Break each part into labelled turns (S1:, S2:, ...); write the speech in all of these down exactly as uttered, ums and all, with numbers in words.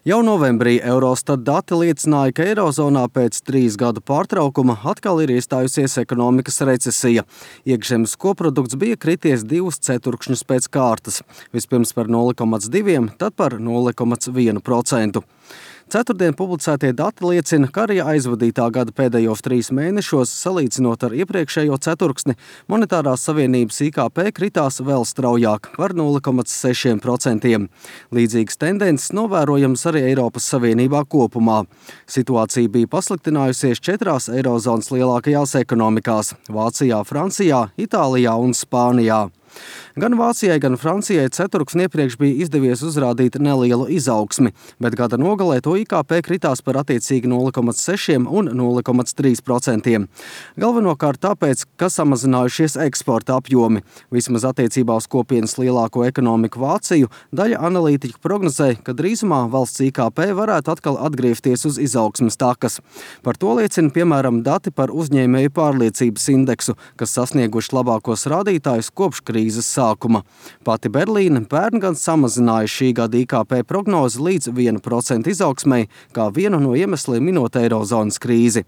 S1: Jau novembrī Eurostat dati liecināja, ka Eirozonā pēc trīs gadu pārtraukuma atkal ir iestājusies ekonomikas recesija. Iekšzemes koprodukts bija krities divus ceturkšņus pēc kārtas. Vispirms par nulle komats divi, tad par nulle komats vienu procentu. Ceturtdien publicētie dati liecina, ka arī aizvadītā gada pēdējos trīs mēnešos, salīdzinot ar iepriekšējo ceturksni, monetārās savienības I K P kritās vēl straujāk par nulle komats seši procenti. Līdzīgas tendences novērojams arī Eiropas Savienībā kopumā. Situācija bija pasliktinājusies četrās Eirozonas lielākajās ekonomikās – Vācijā, Francijā, Itālijā un Spānijā. Gan Vācijai, gan Francijai ceturksni iepriekš bija izdevies uzrādīt nelielu izaugsmi, bet gada nogalē to I K P kritās par attiecīgi nulle komats seši un nulle komats trīs procenti. Galvenokārt tāpēc, ka samazinājušies eksporta apjomi. Vismaz attiecībā uz kopienas lielāko ekonomiku Vāciju, daļa analītiķu prognozē, ka drīzumā valsts I K P varētu atkal atgriezties uz izaugsmes takas. Par to liecina, piemēram, dati par uzņēmēju pārliecības indeksu, kas sasnieguši labākos rādītājus kopš krīzes sākuma. Pati Berlīne pērn gan samazināja šī gada I K P prognozi līdz viena procenta izaugsmei, kā vienu no iemesliem minot Eirozonas krīzi.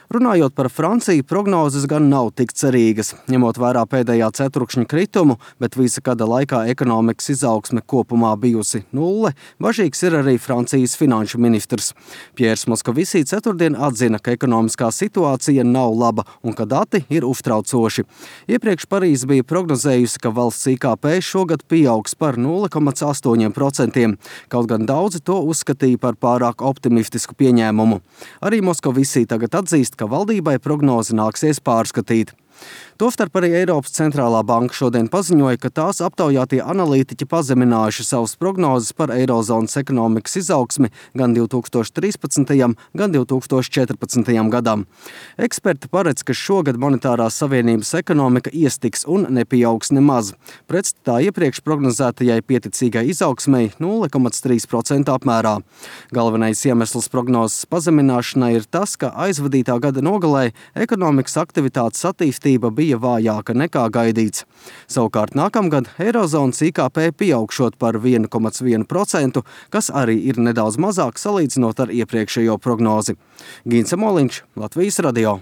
S1: Runājot par Franciju, prognozes gan nav tik cerīgas. Ņemot vērā pēdējā ceturkšņa kritumu, bet visa gada laikā ekonomikas izaugsme kopumā bijusi nulle, bažīgs ir arī Francijas finanšu ministrs. Pjērs Moskovisī ceturtdien atzina, ka ekonomiskā situācija nav laba un ka dati ir uztraucoši. Iepriekš Parīze bija prognozējusi, ka valsts I K P šogad pieaugs par nulle komats astoņi procenti, kaut gan daudzi to uzskatīja par pārāk optimistisku pieņēmumu. Arī Moskovisī tagad atzīst, ka valdībai prognozi nāksies pārskatīt. Tostarp arī Eiropas centrālā banka šodien paziņoja, ka tās aptaujātie analītiķi pazeminājuši savus prognozes par Eirozonas ekonomikas izaugsmi gan divi tūkstoši trīspadsmitajam, gan divi tūkstoši četrpadsmitajam gadam. Eksperti paredz, ka šogad monetārās savienības ekonomika iestiks un nepieaugs nemaz. Pretstatā iepriekš prognozētajai pieticīgai izaugsmei nulle komats trīs procenti apmērā. Galvenais iemesls prognozes pazemināšanai ir tas, ka aizvadītā gada nogalē ekonomikas aktivitātes attīstība bija vājāka nekā gaidīts. Savukārt nākamgad Eirozonas I K P pieaugšot par vienu komats vienu procentu, kas arī ir nedaudz mazāk salīdzinot ar iepriekšējo prognozi. Gīns Amoliņš, Latvijas radio.